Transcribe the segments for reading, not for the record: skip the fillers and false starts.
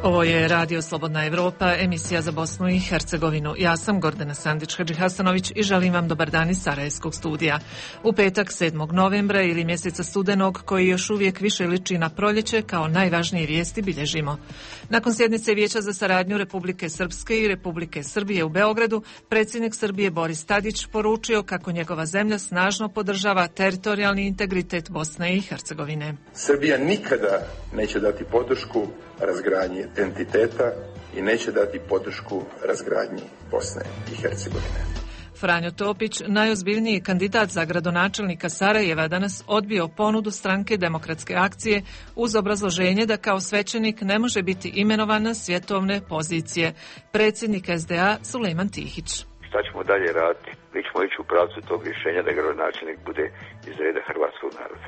Ovo je Radio Slobodna Evropa, emisija za Bosnu i Hercegovinu. Ja sam Gordana Sandić-Hadžihasanović i želim vam dobar dan iz Sarajevskog studija. U petak 7. novembra ili mjeseca studenog, koji još uvijek više liči na proljeće, kao najvažnije vijesti bilježimo. Nakon sjednice Vijeća za saradnju Republike Srpske i Republike Srbije u Beogradu, predsjednik Srbije Boris Tadić poručio kako njegova zemlja snažno podržava teritorijalni integritet Bosne i Hercegovine. Srbija nikada neće dati podršku razgradnji entiteta i neće dati podršku razgradnji Bosne i Hercegovine. Franjo Topić, najozbiljniji kandidat za gradonačelnika Sarajeva, danas odbio ponudu stranke Demokratske akcije uz obrazloženje da kao svećenik ne može biti imenovan na svjetovne pozicije. Predsjednik SDA Sulejman Tihić. Šta ćemo dalje raditi? Mi ćemo ići u pravcu tog rješenja da gradonačelnik bude iz reda hrvatskog naroda.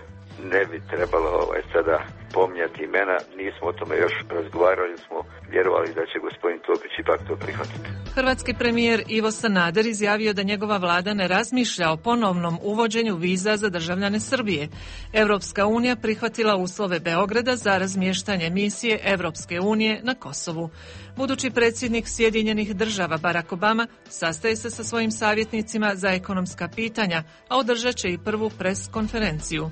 Ne bi trebalo sada pominjati imena, nismo o tome još razgovarali, smo vjerovali da će gospodin Topić ipak to prihvatiti. Hrvatski premijer Ivo Sanader izjavio da njegova vlada ne razmišlja o ponovnom uvođenju viza za državljane Srbije. Europska unija prihvatila uslove Beograda za razmještanje misije Europske unije na Kosovu. Budući predsjednik Sjedinjenih država Barack Obama sastaje se sa svojim savjetnicima za ekonomska pitanja, a održat će i prvu pres konferenciju.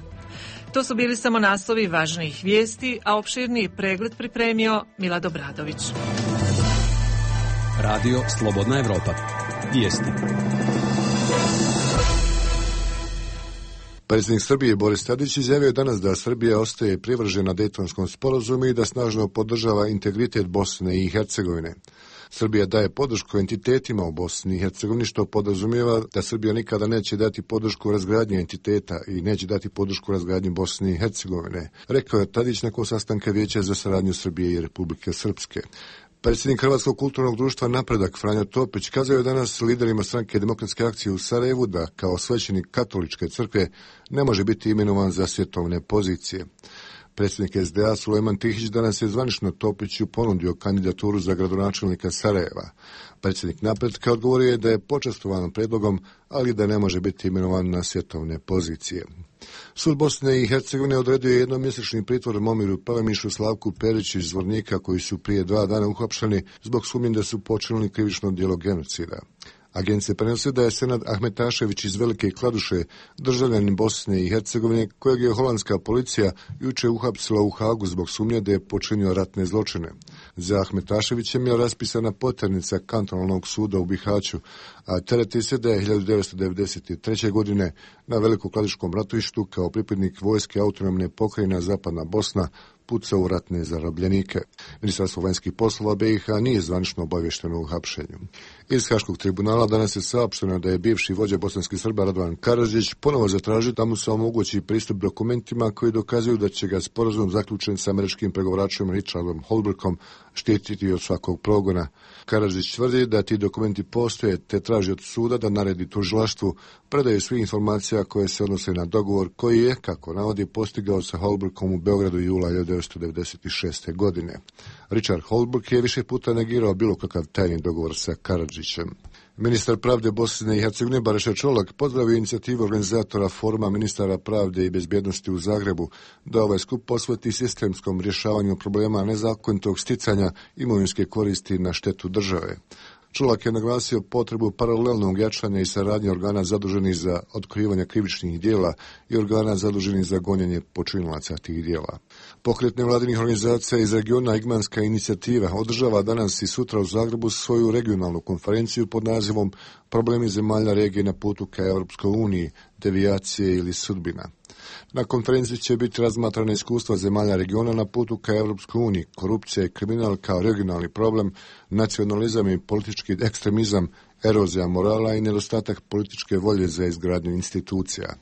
To su bili samo naslovi važnijih vijesti, a opširniji pregled pripremio Milad Obradović. Radio Slobodna Evropa. Vijesti. Predsjednik Srbije Boris Tadić izjavio je danas da Srbija ostaje privržena Dejtonskom sporazumu i da snažno podržava integritet Bosne i Hercegovine. Srbija daje podršku entitetima u Bosni i Hercegovini, što podrazumijeva da Srbija nikada neće dati podršku razgradnji entiteta i neće dati podršku razgradnji Bosne i Hercegovine, rekao je Tadić nakon sastanka Vijeća za saradnju Srbije i Republike Srpske. Predsjednik Hrvatskog kulturnog društva Napredak Franjo Topić kazao je danas liderima stranke Demokratske akcije u Sarajevu da kao svećenik katoličke crkve ne može biti imenovan za svjetovne pozicije. Predsjednik SDA Sulejman Tihić danas je zvanično Topiću ponudio kandidaturu za gradonačelnika Sarajeva. Predsjednik Napretka odgovorio je da je počastovan predlogom, ali da ne može biti imenovan na svjetovne pozicije. Sud Bosne i Hercegovine odredio je jednomjesečni pritvor Momiru Palemišu, Slavku Periću iz Zvornika, koji su prije 2 dana uhapšeni zbog sumnje da su počinili krivično djelo genocida. Agencija prenosi da je Senad Ahmetašević iz Velike Kladuše, državljanin Bosne i Hercegovine, kojeg je holandska policija juče uhapsila u Hagu zbog sumnje da je počinio ratne zločine. Za Ahmetaševićem je raspisana poternica kantonalnog suda u Bihaću, a tereti se da je 1993. godine na Velikokladiškom ratištu kao pripadnik vojske autonomne pokrajine Zapadna Bosna pucao u ratne zarobljenike. Ministarstvo vanjskih poslova BiH nije zvanično obavješteno u hapšenju. Iz Haškog tribunala danas je saopšteno da je bivši vođa bosanskih Srba Radovan Karadžić ponovo zatražio da mu se omogući pristup dokumentima koji dokazuju da će ga sporazum zaključen sa američkim pregovaračem Richardom Holbrookom štititi od svakog progona. Karadžić tvrdi da ti dokumenti postoje te traži od suda da naredi tužilaštvu predaju svih informacija koje se odnose na dogovor koji je, kako navodi, postigao sa Holbrookom u Beogradu jula 1996. godine. Richard Holbrooke je više puta negirao bilo kakav tajni dogovor sa Karadžićem. Ministar pravde Bosne i Hercegovine Bariša Čolak pozdravio inicijativu organizatora foruma ministara pravde i bezbjednosti u Zagrebu da ovaj skup posveti sistemskom rješavanju problema nezakonitog sticanja imovinske koristi na štetu države. Čolak je naglasio potrebu paralelnog jačanja i saradnje organa zaduženih za otkrivanje krivičnih djela i organa zaduženih za gonjenje počinilaca tih djela. Pokret nevladinih organizacija iz regiona Igmanska inicijativa održava danas i sutra u Zagrebu svoju regionalnu konferenciju pod nazivom Problemi zemalja regije na putu ka Europskoj uniji, devijacije ili sudbina. Na konferenciji će biti razmatrana iskustva zemalja regiona na putu ka Europskoj uniji, korupcija i kriminal kao regionalni problem, nacionalizam i politički ekstremizam, erozija morala i nedostatak političke volje za izgradnju institucija.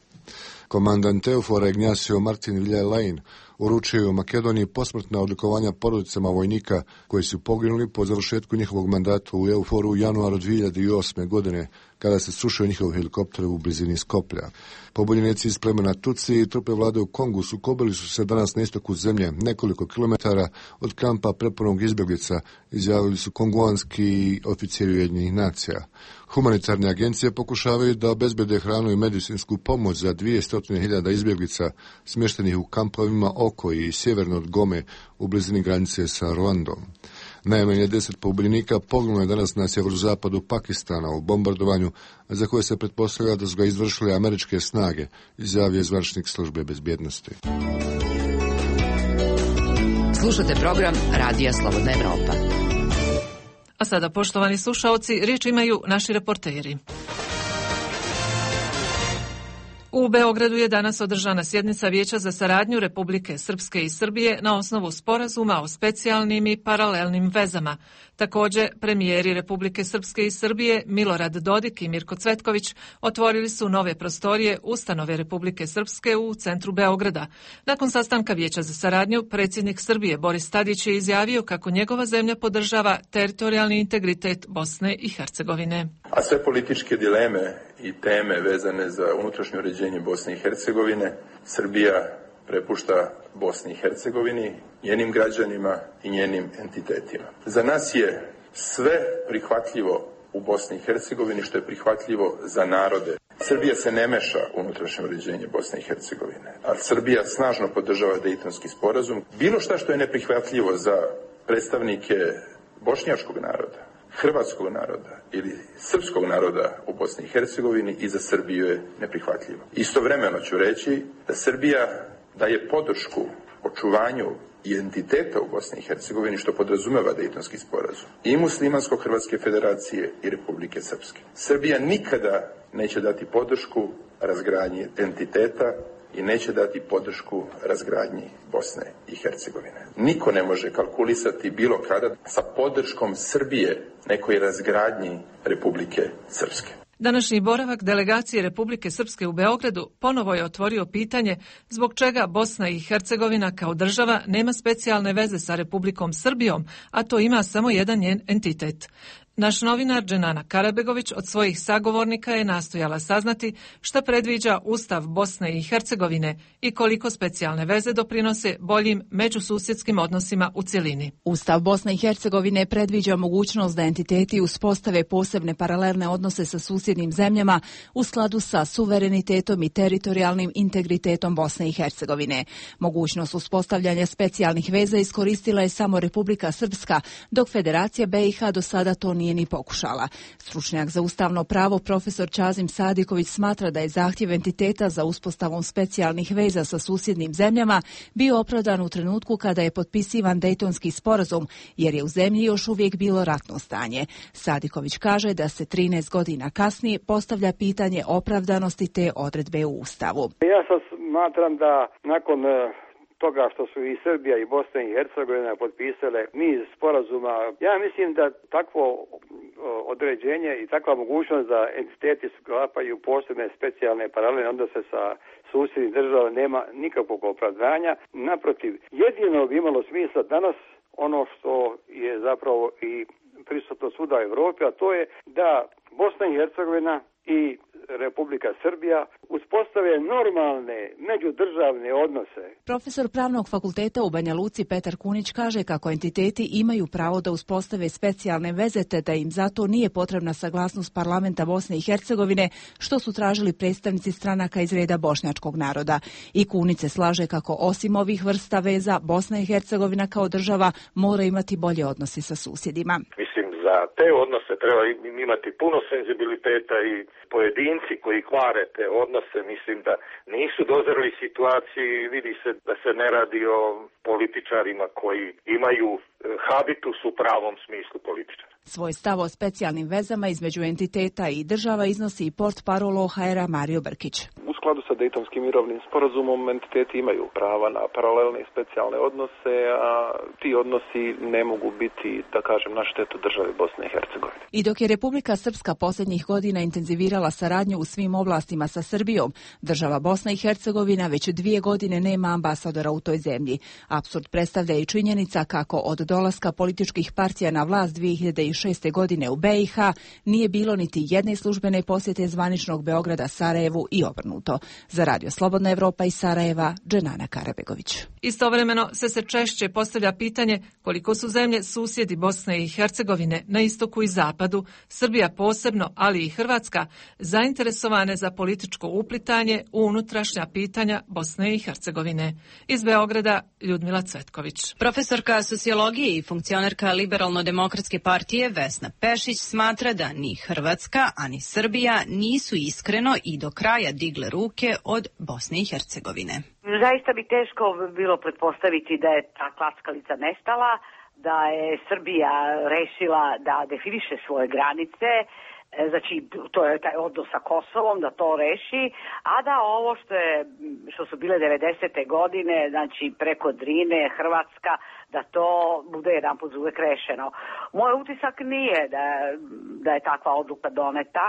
Komandant EUFOR-a Ignacio Martin Villalain uručio je u Makedoniji posmrtna odlikovanja porodicama vojnika koji su poginuli po završetku njihovog mandata u EUFOR-u u januaru 2008. godine, kada se srušio njihov helikopter u blizini Skoplja. Pobunjenici iz plemena Tutsi i trupe vlade u Kongu sukobili su se danas na istoku zemlje, nekoliko kilometara od kampa prepunog izbjeglica, izjavili su konguanski oficiri Ujedinjenih nacija. Humanitarne agencije pokušavaju da obezbede hranu i medicinsku pomoć za 200.000 izbjeglica smještenih u kampovima oko i sjeverno od Gome u blizini granice sa Ruandom. Najmanje 10 pogubljenika poginulo je danas na sjeverozapadu Pakistana u bombardovanju za koje se pretpostavlja da su ga izvršile američke snage, izjavio zvaničnik službe bezbjednosti. Slušate program Radija Slobodna Evropa. A sada, poštovani slušaoci, riječ imaju naši reporteri. U Beogradu je danas održana sjednica Vijeća za saradnju Republike Srpske i Srbije na osnovu sporazuma o specijalnim i paralelnim vezama. Također, premijeri Republike Srpske i Srbije Milorad Dodik i Mirko Cvetković otvorili su nove prostorije ustanove Republike Srpske u centru Beograda. Nakon sastanka Vijeća za saradnju, predsjednik Srbije Boris Tadić je izjavio kako njegova zemlja podržava teritorijalni integritet Bosne i Hercegovine. A sve političke dileme i teme vezane za unutrašnje uređenje Bosne i Hercegovine Srbija prepušta Bosni i Hercegovini, njenim građanima i njenim entitetima. Za nas je sve prihvatljivo u Bosni i Hercegovini što je prihvatljivo za narode. Srbija se ne meša u unutrašnje uređenje Bosne i Hercegovine, a Srbija snažno podržava Dejtonski sporazum. Bilo šta što je neprihvatljivo za predstavnike bošnjačkog naroda, hrvatskog naroda ili srpskog naroda u Bosni i Hercegovini i za Srbiju je neprihvatljivo. Istovremeno ću reći da Srbija daje podršku očuvanju identiteta u Bosni i Hercegovini, što podrazumeva Dejtonski sporazum, i Muslimansko-Hrvatske federacije i Republike Srpske. Srbija nikada neće dati podršku razgradnji entiteta i neće dati podršku razgradnji Bosne i Hercegovine. Niko ne može kalkulisati bilo kada sa podrškom Srbije nekoj razgradnji Republike Srpske. Današnji boravak delegacije Republike Srpske u Beogradu ponovo je otvorio pitanje zbog čega Bosna i Hercegovina kao država nema specijalne veze sa Republikom Srbijom, a to ima samo jedan njen entitet. Naš novinar Dženana Karabegović od svojih sagovornika je nastojala saznati šta predviđa Ustav Bosne i Hercegovine i koliko specijalne veze doprinose boljim međususjedskim odnosima u cjelini. Ustav Bosne i Hercegovine predviđa mogućnost da entiteti uspostave posebne paralelne odnose sa susjednim zemljama u skladu sa suverenitetom i teritorijalnim integritetom Bosne i Hercegovine. Mogućnost uspostavljanja specijalnih veza iskoristila je samo Republika Srpska, dok Federacija BiH do sada to nije ni pokušala. Stručnjak za ustavno pravo profesor Čazim Sadiković smatra da je zahtjev entiteta za uspostavom specijalnih veza sa susjednim zemljama bio opravdan u trenutku kada je potpisivan Dejtonski sporazum, jer je u zemlji još uvijek bilo ratno stanje. Sadiković kaže da se 13 godina kasnije postavlja pitanje opravdanosti te odredbe u Ustavu. Ja sad smatram da nakon toga što su i Srbija i Bosna i Hercegovina potpisale niz sporazuma, ja mislim da takvo određenje i takva mogućnost da entiteti sklapaju posebne specijalne paralelne odnose sa susjednim državama nema nikakvog opravdanja. Naprotiv, jedino bi imalo smisla danas ono što je zapravo i prisutno svuda u Europi, a to je da Bosna i Hercegovina i Republika Srbija uspostave normalne međudržavne odnose. Profesor Pravnog fakulteta u Banja Luci Petar Kunić kaže kako entiteti imaju pravo da uspostave specijalne veze te da im zato nije potrebna saglasnost parlamenta Bosne i Hercegovine, što su tražili predstavnici stranaka iz reda bošnjačkog naroda. I Kunić se slaže kako osim ovih vrsta veza Bosna i Hercegovina kao država mora imati bolje odnose sa susjedima. Za te odnose treba imati puno senzibiliteta i pojedinci koji kvare te odnose, mislim da nisu dozreli situaciji, vidi se da se ne radi o političarima koji imaju habitus u pravom smislu političara. Svoj stav o specijalnim vezama između entiteta i država iznosi i portparol OHR-a Mario Brkić. U skladu sa Dejtonskim mirovnim sporazumom entiteti imaju prava na paralelne i specijalne odnose, a ti odnosi ne mogu biti, da kažem, na štetu države Bosne i Hercegovine. I dok je Republika Srpska posljednjih godina intenzivirala saradnju u svim oblastima sa Srbijom, država Bosna i Hercegovina već 2 godine nema ambasadora u toj zemlji. Apsurd predstavlja i činjenica kako od dolaska političkih partija na vlast 2006. godine u BiH nije bilo niti jedne službene posjete zvaničnog Beograda Sarajevu i obrnuto. Sarajevo. Za Radio Slobodna Evropa iz Sarajeva, Dženana Karabegović. Istovremeno se češće postavlja pitanje koliko su zemlje susjedi Bosne i Hercegovine na istoku i zapadu, Srbija posebno, ali i Hrvatska, zainteresovane za političko uplitanje u unutrašnja pitanja Bosne i Hercegovine. Iz Beograda, Ljudmila Cvetković. Profesorka sociologije i funkcionerka Liberalno-demokratske partije Vesna Pešić smatra da ni Hrvatska, ani Srbija nisu iskreno i do kraja digle ruke od Bosne i Hercegovine. Zaista bi teško bilo pretpostaviti da je ta klackalica nestala, da je Srbija rešila da definiše svoje granice, znači to je taj odnos sa Kosovom, da to reši, a da ovo što su bile 90. godine, znači preko Drine, Hrvatska, da to bude jedan put uvek rešeno. Moj utisak nije da je takva odluka doneta,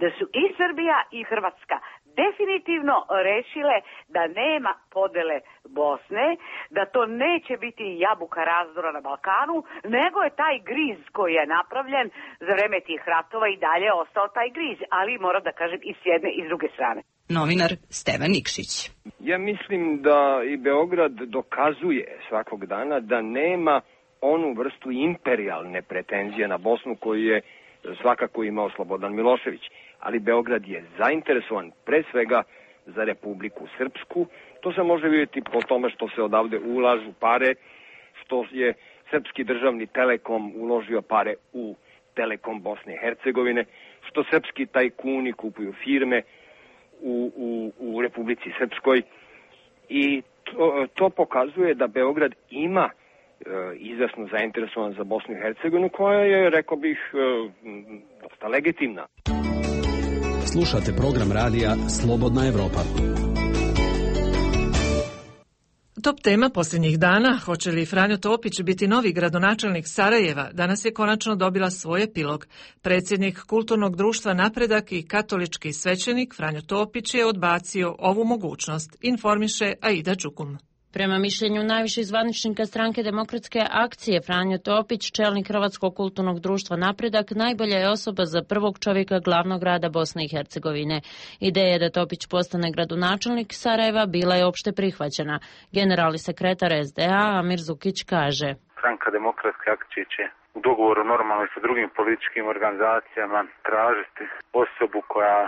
da su i Srbija i Hrvatska definitivno rešile da nema podele Bosne, da to neće biti jabuka razdora na Balkanu, nego je taj griz koji je napravljen za vreme tih ratova i dalje ostao taj griz, ali moram da kažem i s jedne i s druge strane. Novinar Stevan Nikšić. Ja mislim da i Beograd dokazuje svakog dana da nema onu vrstu imperijalne pretenzije na Bosnu koju je svakako imao Slobodan Milošević. Ali Beograd je zainteresovan pre svega za Republiku Srpsku. To se može vidjeti po tome što se odavde ulažu pare, što je Srpski državni Telekom uložio pare u Telekom Bosne i Hercegovine, što srpski tajkuni kupuju firme u Republici Srpskoj. I to pokazuje da Beograd ima izvesno zainteresovan za Bosnu i Hercegovinu, koja je, rekao bih, dosta legitimna. Slušate program radija Slobodna Evropa. Top tema posljednjih dana, hoće li Franjo Topić biti novi gradonačelnik Sarajeva, danas je konačno dobila svoj epilog. Predsjednik Kulturnog društva Napredak i katolički svećenik Franjo Topić je odbacio ovu mogućnost, informiše Aida Đukum. Prema mišljenju najviših zvaničnika stranke Demokratske akcije, Franjo Topić, čelnik Hrvatskog kulturnog društva Napredak, najbolja je osoba za prvog čovjeka glavnog grada Bosne i Hercegovine. Ideja da Topić postane gradonačelnik Sarajeva bila je opšte prihvaćena. Generalni sekretar SDA Amir Zukić kaže: Stranka Demokratske akcije će u dogovoru normalno sa drugim političkim organizacijama tražiti osobu koja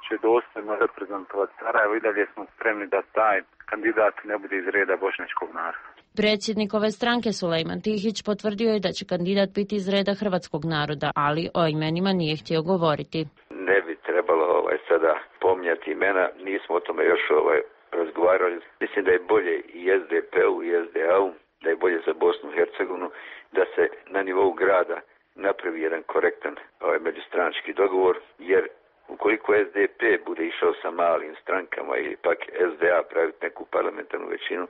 će dostojno reprezentovati Sarajevo i dalje smo spremni da taj kandidat ne bude iz reda bošnjačkog naroda. Predsjednik ove stranke Sulejman Tihić potvrdio je da će kandidat biti iz reda hrvatskog naroda, ali o imenima nije htio govoriti. Ne bi trebalo sada pomnjati imena, nismo o tome još razgovarali. Mislim da je bolje i SDP-u i SDA-u, da je bolje za Bosnu i Hercegovinu, da se na nivou grada napravi jedan korektan međustranački dogovor, jer ukoliko SDP bude išao sa malim strankama ili pak SDA praviti neku parlamentarnu većinu,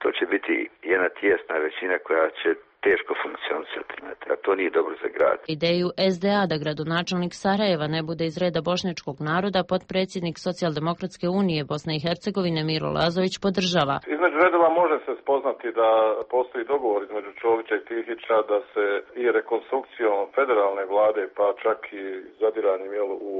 to će biti jedna tijesna većina koja će teško funkcionisati. A to nije dobro za grad. Ideju SDA da gradonačelnik Sarajeva ne bude iz reda bošnjačkog naroda potpredsjednik Socijaldemokratske unije Bosne i Hercegovine Miro Lazović podržava. Između redova može se spoznati da postoji dogovor između Čovića i Tihića da se i rekonstrukcijom federalne vlade, pa čak i zadiranjem u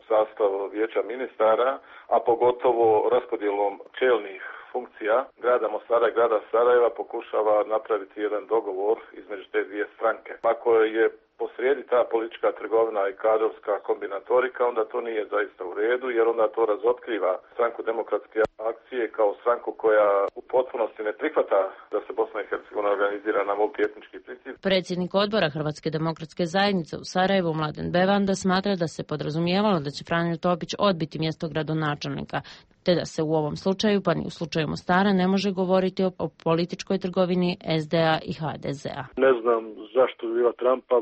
sastav vijeća ministara, a pogotovo raspodjelom čelnih funkcija grada Mostara i grada Sarajeva pokušava napraviti jedan dogovor između te dvije stranke. Ako je posrijedi ta politička trgovina i kadrovska kombinatorika, onda to nije zaista u redu, jer onda to razotkriva stranku Demokratske akcije kao stranku koja u potpunosti ne prihvata da se Bosna i Hercegovina organizira na multietnički princip. Predsjednik odbora Hrvatske demokratske zajednice u Sarajevu Mladen Bevanda smatra da se podrazumijevalo da će Franjo Topić odbiti mjesto gradonačelnika, te da se u ovom slučaju, pa ni u slučaju Mostara, ne može govoriti o političkoj trgovini SDA i HDZ-a. Ne znam zašto biva Trumpa.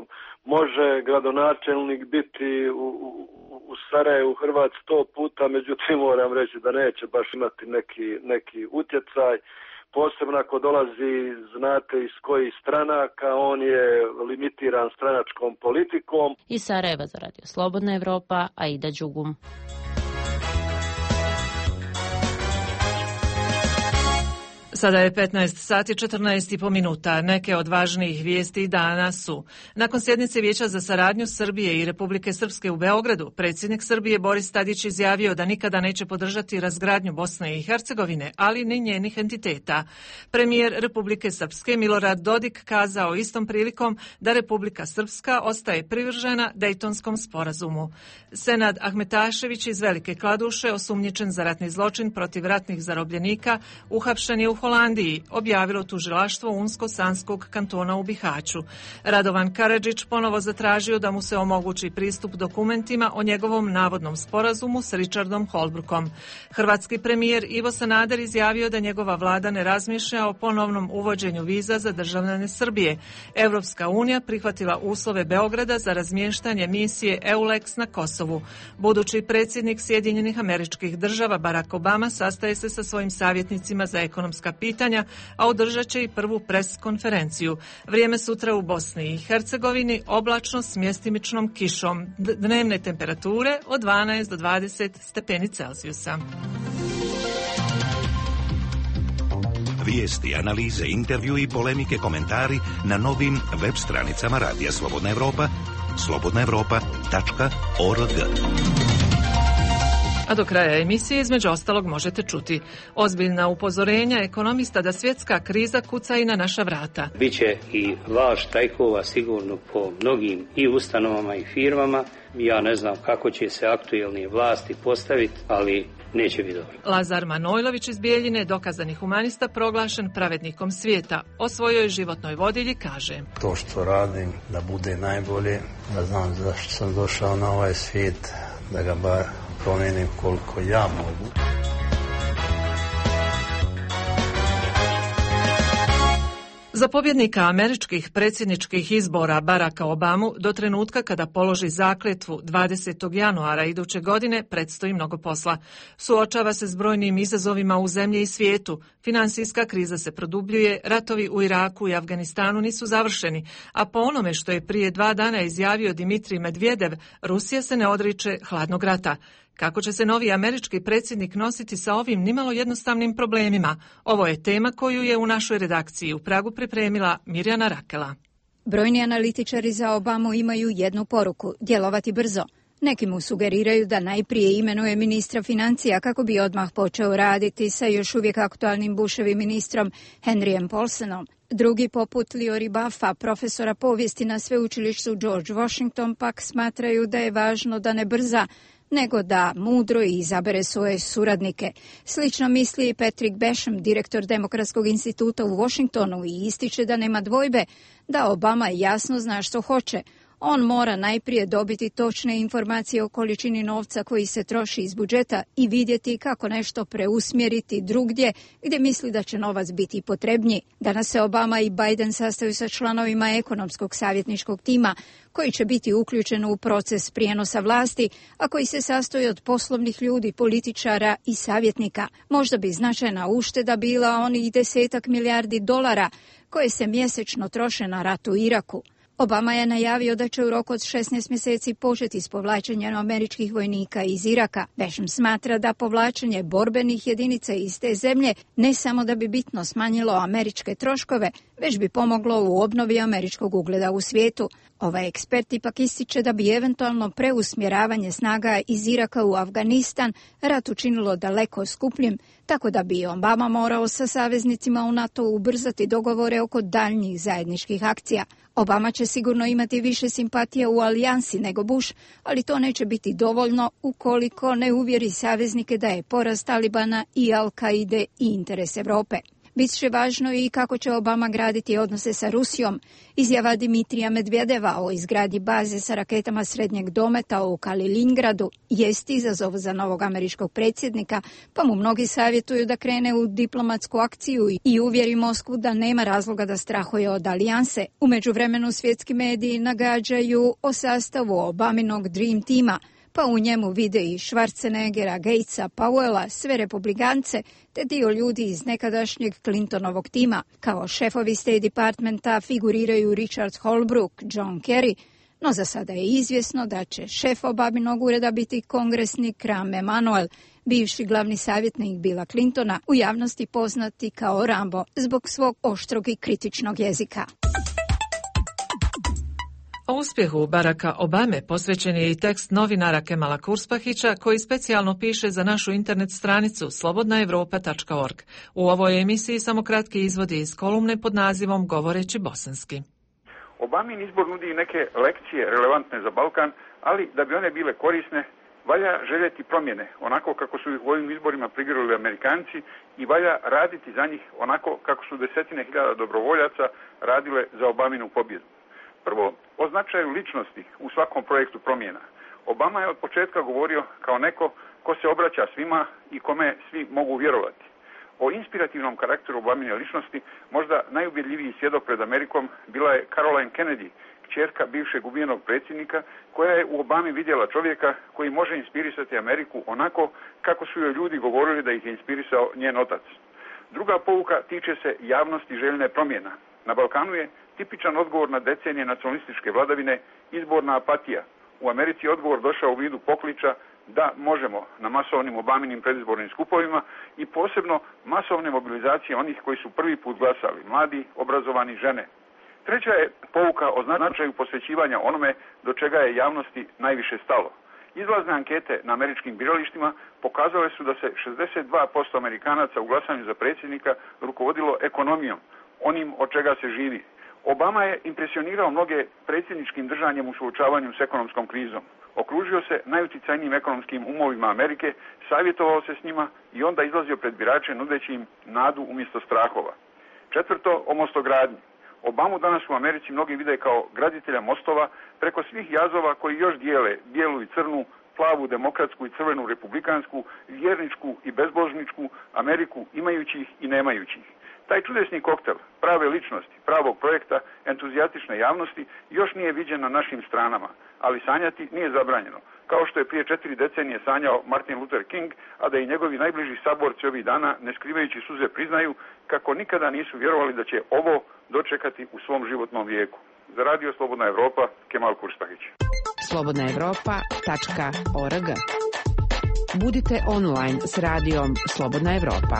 Može gradonačelnik biti u Sarajevu Hrvat 100 puta, međutim moram reći da neće baš imati neki utjecaj. Posebno ako dolazi, znate iz kojih stranaka, on je limitiran stranačkom politikom. Iz Sarajeva za Radio Slobodna Evropa, Aida Đugum. Sada je 15 sati 14,5 minuta. Neke od važnijih vijesti dana su: nakon sjednice Vijeća za saradnju Srbije i Republike Srpske u Beogradu, predsjednik Srbije Boris Tadić izjavio da nikada neće podržati razgradnju Bosne i Hercegovine, ali ni njenih entiteta. Premijer Republike Srpske Milorad Dodik kazao istom prilikom da Republika Srpska ostaje privržena Dejtonskom sporazumu. Senad Ahmetašević iz Velike Kladuše, osumnjičen za ratni zločin protiv ratnih zarobljenika, uhapšen je u Holandiji, objavilo tužilaštvo Unsko-Sanskog kantona u Bihaću. Radovan Karadžić ponovo zatražio da mu se omogući pristup dokumentima o njegovom navodnom sporazumu s Richardom Holbrookom. Hrvatski premijer Ivo Sanader izjavio da njegova vlada ne razmišlja o ponovnom uvođenju viza za državljane Srbije. Evropska unija prihvatila uslove Beograda za razmještanje misije EULEX na Kosovu. Budući predsjednik Sjedinjenih Američkih Država Barack Obama sastaje se sa svojim savjetnicima za ekonomska pitanja, a održat će i prvu pres konferenciju. Vrijeme sutra u Bosni i Hercegovini oblačno s mjestimičnom kišom. Dnevne temperature od 12 do 20 stepeni Celzijusa. Vijesti, analize, intervju i polemike, komentari na novim web stranicama Radija Slobodna Evropa, slobodnaevropa.org. A do kraja emisije između ostalog možete čuti ozbiljna upozorenja ekonomista da svjetska kriza kuca i na naša vrata. Biće i val štrajkova sigurno po mnogim i ustanovama i firmama. Ja ne znam kako će se aktuelne vlasti postaviti, ali neće biti dobro. Lazar Manojlović iz Bijeljine, dokazani humanista, proglašen pravednikom svijeta. O svojoj životnoj vodilji kaže: to što radim da bude najbolje, da znam zašto sam došao na ovaj svijet, da ga bar promijenim koliko ja mogu. Za pobjednika američkih predsjedničkih izbora Baracka Obamu do trenutka kada položi zakletvu 20. januara iduće godine predstoji mnogo posla. Suočava se s brojnim izazovima u zemlji i svijetu. Finansijska kriza se produbljuje, ratovi u Iraku i Afganistanu nisu završeni, a po onome što je prije 2 dana izjavio Dimitrij Medvedev, Rusija se ne odriče hladnog rata. Kako će se novi američki predsjednik nositi sa ovim nimalo jednostavnim problemima? Ovo je tema koju je u našoj redakciji u Pragu pripremila Mirjana Rakela. Brojni analitičari za Obamu imaju jednu poruku: djelovati brzo. Neki mu sugeriraju da najprije imenuje ministra financija kako bi odmah počeo raditi sa još uvijek aktualnim Bushovim ministrom Henryjem Paulsonom. Drugi, poput Liori Buffa, profesora povijesti na sveučilištu George Washington, pak smatraju da je važno da ne brza, nego da mudro izabere svoje suradnike. Slično misli i Patrick Basham, direktor Demokratskog instituta u Washingtonu, i ističe da nema dvojbe da Obama jasno zna što hoće. On mora najprije dobiti točne informacije o količini novca koji se troši iz budžeta i vidjeti kako nešto preusmjeriti drugdje gdje misli da će novac biti potrebniji. Danas se Obama i Biden sastaju sa članovima ekonomskog savjetničkog tima koji će biti uključen u proces prijenosa vlasti, a koji se sastoji od poslovnih ljudi, političara i savjetnika. Možda bi značajna ušteda bila onih 10 milijardi dolara koje se mjesečno troše na rat u Iraku. Obama je najavio da će u roku od 16 mjeseci početi s povlačenjem američkih vojnika iz Iraka. Basham smatra da povlačenje borbenih jedinica iz te zemlje ne samo da bi bitno smanjilo američke troškove, već bi pomoglo u obnovi američkog ugleda u svijetu. Ovaj ekspert ipak ističe da bi eventualno preusmjeravanje snaga iz Iraka u Afganistan rat učinilo daleko skupljim, tako da bi Obama morao sa saveznicima u NATO ubrzati dogovore oko daljnjih zajedničkih akcija. Obama će sigurno imati više simpatija u alijansi nego Bush, ali to neće biti dovoljno ukoliko ne uvjeri saveznike da je poraz Talibana i Al-Kaide i interes Europe. Bit će važno i kako će Obama graditi odnose sa Rusijom. Izjava Dimitrija Medvedeva o izgradnji baze sa raketama srednjeg dometa u Kaliningradu jest izazov za novog američkog predsjednika, pa mu mnogi savjetuju da krene u diplomatsku akciju i uvjeri Moskvu da nema razloga da strahuje od alijanse. U međuvremenu svjetski mediji nagađaju o sastavu Obaminog Dream tima, pa u njemu vide i Schwarzeneggera, Gatesa, Powella, sve republikance, te dio ljudi iz nekadašnjeg Clintonovog tima. Kao šefovi State Departmenta figuriraju Richard Holbrooke, John Kerry, no za sada je izvjesno da će šef Obaminog ureda biti kongresnik Rahm Emanuel, bivši glavni savjetnik Billa Clintona, u javnosti poznati kao Rambo zbog svog oštrog i kritičnog jezika. O uspjehu Baracka Obame posvećen je i tekst novinara Kemala Kurspahića koji specijalno piše za našu internet stranicu slobodnaevropa.org. U ovoj emisiji samo kratki izvodi iz kolumne pod nazivom Govoreći bosanski. Obamin izbor nudi neke lekcije relevantne za Balkan, ali da bi one bile korisne, valja željeti promjene, onako kako su ih u ovim izborima prigrlili Amerikanci, i valja raditi za njih onako kako su desetine hiljada dobrovoljaca radile za Obaminu pobjedu. Prvo, o značaju ličnosti u svakom projektu promjena. Obama je od početka govorio kao neko ko se obraća svima i kome svi mogu vjerovati. O inspirativnom karakteru Obamine ličnosti možda najubjedljiviji svjedok pred Amerikom bila je Caroline Kennedy, kćerka bivšeg ubijenog predsjednika, koja je u Obami vidjela čovjeka koji može inspirisati Ameriku onako kako su joj ljudi govorili da ih je inspirisao njen otac. Druga pouka tiče se javnosti željne promjena. Na Balkanu je tipičan odgovor na decenije nacionalističke vladavine izborna apatija. U Americi je odgovor došao u vidu pokliča da možemo na masovnim Obaminim predizbornim skupovima i posebno masovne mobilizacije onih koji su prvi put glasali, mladi, obrazovani, žene. Treća je pouka o značaju posvećivanja onome do čega je javnosti najviše stalo. Izlazne ankete na američkim biralištima pokazale su da se 62% Amerikanaca u glasanju za predsjednika rukovodilo ekonomijom, onim od čega se živi. Obama je impresionirao mnoge predsjedničkim držanjem u suočavanju s ekonomskom krizom. Okružio se najuticajnijim ekonomskim umovima Amerike, savjetovao se s njima i onda izlazio pred birače nudeći im nadu umjesto strahova. Četvrto, o mostogradnji. Obamu danas u Americi mnogi vide kao graditelja mostova preko svih jazova koji još dijele bijelu i crnu, plavu, demokratsku i crvenu republikansku, vjerničku i bezbožničku Ameriku, imajućih i nemajućih. Taj čudesni koktel prave ličnosti, pravog projekta, entuzijatične javnosti još nije viđen na našim stranama, ali sanjati nije zabranjeno. Kao što je prije 4 decenije sanjao Martin Luther King, a da i njegovi najbliži saborci ovih dana, ne skrivajući suze, priznaju kako nikada nisu vjerovali da će ovo dočekati u svom životnom vijeku. Za Radio Slobodna Evropa, Kemal Kurspahić. slobodnaevropa.org. Budite online s radijom Slobodna Evropa.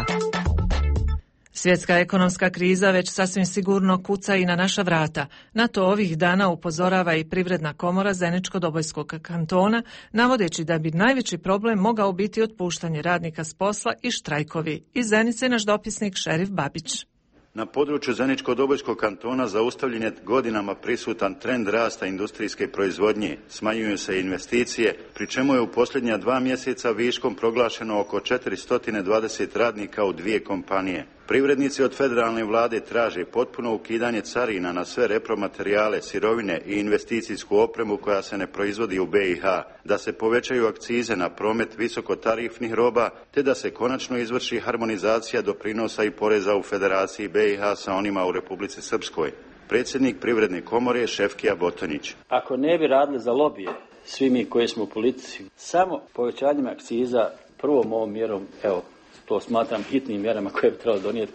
Svjetska ekonomska kriza već sasvim sigurno kuca i na naša vrata. Na to ovih dana upozorava i Privredna komora Zeničko-Dobojskog kantona, navodeći da bi najveći problem mogao biti otpuštanje radnika s posla i štrajkovi. Iz Zenice naš dopisnik Šerif Babić. Na području Zeničko-Dobojskog kantona zaustavljen je godinama prisutan trend rasta industrijske proizvodnje, smanjuju se investicije, pri čemu je u posljednja 2 mjeseca viškom proglašeno oko 420 radnika u 2 kompanije. Privrednici od federalne vlade traže potpuno ukidanje carina na sve repromaterijale, sirovine i investicijsku opremu koja se ne proizvodi u BiH, da se povećaju akcize na promet visokotarifnih roba, te da se konačno izvrši harmonizacija doprinosa i poreza u Federaciji BiH sa onima u Republici Srpskoj. Predsjednik Privredne komore Šefkija Botonić. Ako ne bi radili za lobije, svi mi koji smo u politici, samo povećanjem akciza, prvom ovom mjerom, evo, to smatram hitnim mjerama koje bi trebalo donijeti,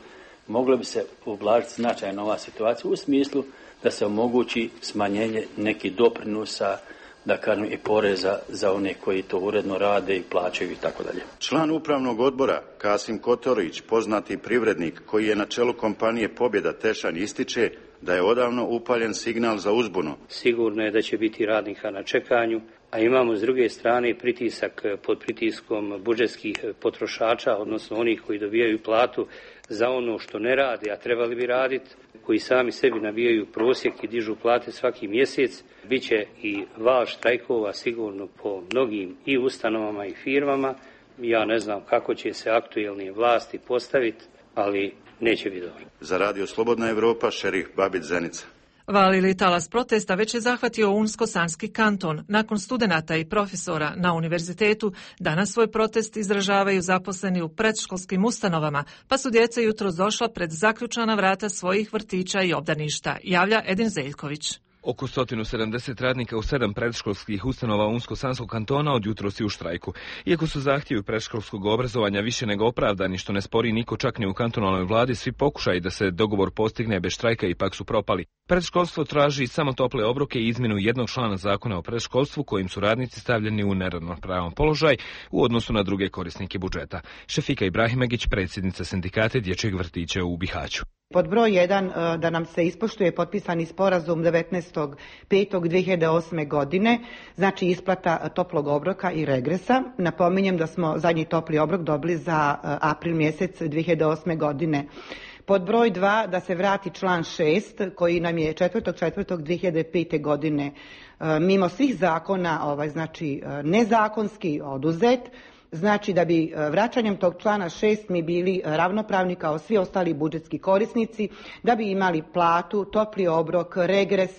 moglo bi se ublažiti značajno ova situacija u smislu da se omogući smanjenje nekih doprinosa, da kažem i poreza za one koji to uredno rade i plaćaju i tako dalje. Član upravnog odbora Kasim Kotorić, poznati privrednik koji je na čelu kompanije Pobjeda Tešanj, ističe da je odavno upaljen signal za uzbunu. Sigurno je da će biti radnika na čekanju, a imamo s druge strane pritisak pod pritiskom budžetskih potrošača, odnosno onih koji dobijaju platu za ono što ne rade, a trebali bi raditi, koji sami sebi nabijaju prosjek i dižu plate svaki mjesec. Biće i val štrajkova sigurno po mnogim i ustanovama i firmama. Ja ne znam kako će se aktuelne vlasti postaviti, ali neće biti dobro. Za Radio Slobodna Evropa, Šerif Babić, Zenica. Val ili talas protesta već je zahvatio Unsko-Sanski kanton. Nakon studenata i profesora na univerzitetu, danas svoj protest izražavaju zaposleni u predškolskim ustanovama, pa su djeca jutros došla pred zaključana vrata svojih vrtića i obdaništa, javlja Edin Zeljković. Oko 170 radnika u 7 predškolskih ustanova Unsko-Sanskog kantona od jutros je u štrajku. Iako su zahtjevi predškolskog obrazovanja više nego opravdani, što ne spori niko čak ni u kantonalnoj vladi, svi pokušaji da se dogovor postigne bez štrajka ipak su propali. Predškolstvo traži samo tople obroke i izmjenu jednog člana zakona o predškolstvu kojim su radnici stavljeni u neravnopravan položaj u odnosu na druge korisnike budžeta. Šefika Ibrahimegić, predsjednica sindikate dječjeg vrtića u Bihaću. Pod broj 1 da nam se ispoštuje potpisani sporazum 19.5.2008. godine, znači isplata toplog obroka i regresa. Napominjem da smo zadnji topli obrok dobili za april mjesec 2008. godine. Pod broj 2 da se vrati član 6 koji nam je 4.4.2005. godine mimo svih zakona znači nezakonski oduzet. Znači da bi vraćanjem tog člana 6 mi bili ravnopravni kao svi ostali budžetski korisnici, da bi imali platu, topli obrok, regres,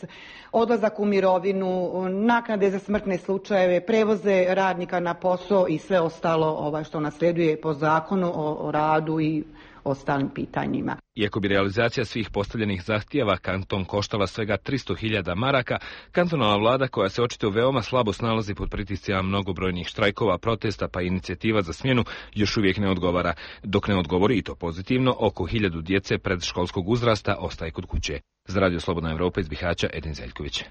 odlazak u mirovinu, naknade za smrtne slučajeve, prevoze radnika na posao i sve ostalo što nasleduje po zakonu o radu i ostalim pitanjima. Iako bi realizacija svih postavljenih zahtjeva kanton koštala svega 300.000 maraka, kantonalna vlada koja se očito veoma slabo snalazi pod pritiscima mnogobrojnih štrajkova, protesta pa inicijativa za smjenu još uvijek ne odgovara. Dok ne odgovori i to pozitivno, oko 1000 djece predškolskog uzrasta ostaje kod kuće. Za Radio Slobodna Evropa iz Bihaća, Edin Zeljković.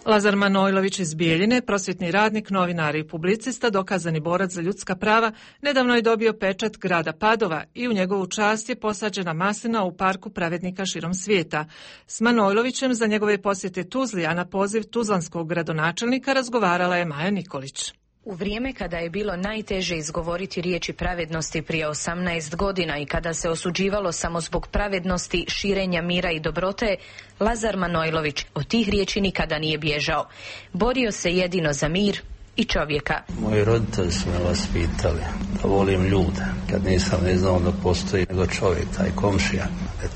Lazar Manojlović iz Bijeljine, prosvjetni radnik, novinar i publicista, dokazani borac za ljudska prava, nedavno je dobio pečat grada Padova i u njegovu čast je posađena maslina u parku pravednika širom svijeta. S Manojlovićem za njegove posjete Tuzli, a na poziv tuzlanskog gradonačelnika razgovarala je Maja Nikolić. U vrijeme kada je bilo najteže izgovoriti riječi pravednosti prije 18 godina i kada se osuđivalo samo zbog pravednosti, širenja mira i dobrote, Lazar Manojlović od tih riječi nikada nije bježao. Borio se jedino za mir i čovjeka. Moji roditelji su me vaspitali da volim ljude. Kad nisam ne znao da postoji nego čovjek, taj komšija.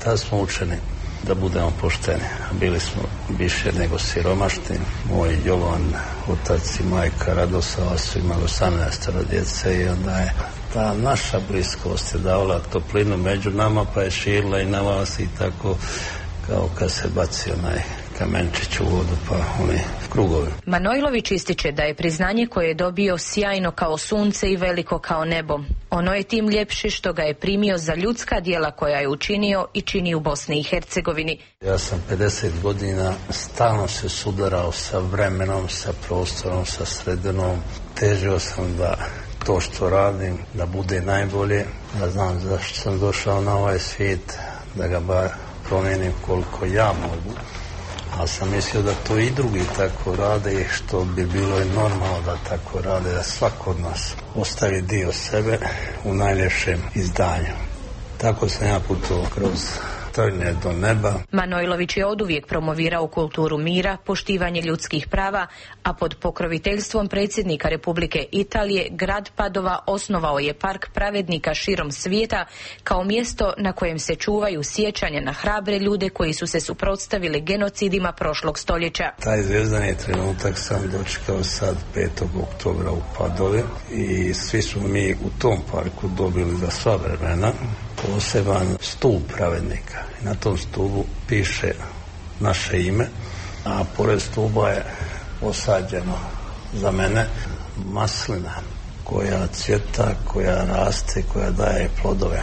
Tad smo učeni da budemo pošteni. Bili smo više nego siromašni. Moj Jovan, otac i majka Radosava su imali 18 djece i onda je ta naša bliskost je davala toplinu među nama, pa je širila i na vas i tako kao kad se baci onaj kamenčić u vodu pa oni krugovi. Manojlović ističe da je priznanje koje je dobio sjajno kao sunce i veliko kao nebo. Ono je tim ljepše što ga je primio za ljudska djela koja je učinio i čini u Bosni i Hercegovini. Ja sam 50 godina stalno se sudarao sa vremenom, sa prostorom, sa sredinom. Težio sam da to što radim, da bude najbolje. Da znam zašto sam došao na ovaj svijet, da ga bar promijenim koliko ja mogu. Ali sam mislio da to i drugi tako rade i što bi bilo i normalno da tako rade, da svako od nas ostavi dio sebe u najljepšem izdanju. Tako sam ja putovao kroz trnje do neba. Manojlović je oduvijek promovirao kulturu mira, poštivanje ljudskih prava, a pod pokroviteljstvom predsjednika Republike Italije grad Padova osnovao je park pravednika širom svijeta kao mjesto na kojem se čuvaju sjećanja na hrabre ljude koji su se suprotstavili genocidima prošlog stoljeća. Taj zvijezdani trenutak sam dočekao sad 5. oktobra u Padovi i svi smo mi u tom parku dobili za sva vremena poseban stup pravednika. I na tom stupu piše naše ime, a pored stupa je posađeno za mene maslina koja cvjeta, koja raste, koja daje plodove.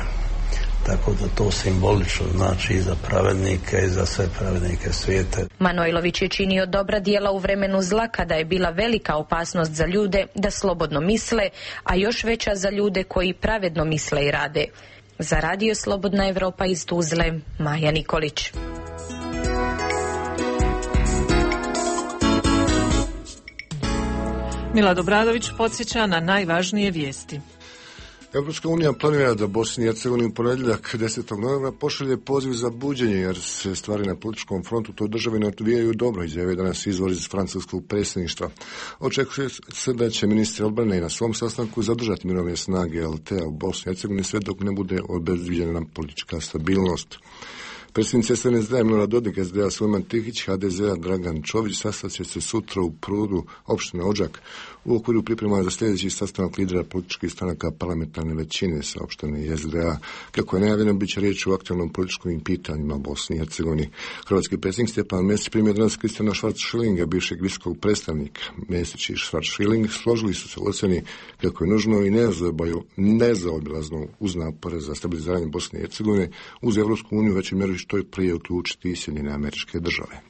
Tako da to simbolično znači i za pravednike i za sve pravednike svijeta. Manojlović je činio dobra djela u vremenu zla kada je bila velika opasnost za ljude da slobodno misle, a još veća za ljude koji pravedno misle i rade. Za Radio Slobodna Evropa iz Tuzle, Maja Nikolić. Milad Obradović podsjeća na najvažnije vijesti. Europska unija planira da Bosni i Hercegovini u ponedjeljak 10. novembra pošalje poziv za buđenje jer se stvari na političkom frontu toj državi ne odvijaju dobro, izjavio danas izvor iz francuskog predsjedništva. Očekuje se da će ministri obrane na svom sastanku zadržati mirovne snage LT-a u Bosni i Hercegovini sve dok ne bude obezviđena politička stabilnost. Predsjednici SNSD Milorad Dodik, SDA Sulejman Tihić, HDZ-a Dragan Čović sastaće se sutra u Prudu, opštine Odžak, u okviru priprema za sljedeći sastanak lidera političkih stranaka parlamentarne većine saopštene i SDA. Kako je najavljeno, bit će riječ o aktualnom političkim pitanjima Bosni i Hercegovini. Hrvatski predsjednik Stjepan Mesić primio danas Kristijana Schwarz-Schillinga, bivšeg visokog predstavnika. Mesić i Schwarz-Schilling složili su se u ocjeni kako je nužno i nezaobilazno uz napore za stabiliziranje Bosne i Hercegovine uz Evropsku uniju većoj mjeri što je prije uključiti i Sjedinjene Američke Države.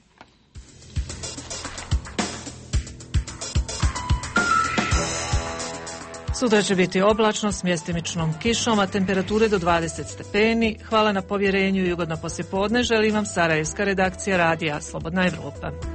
Sutra će biti oblačno s mjestimičnom kišom, a temperature do 20 stepeni. Hvala na povjerenju i ugodno poslijepodne. Želim vam sarajevska redakcija radija Slobodna Evropa.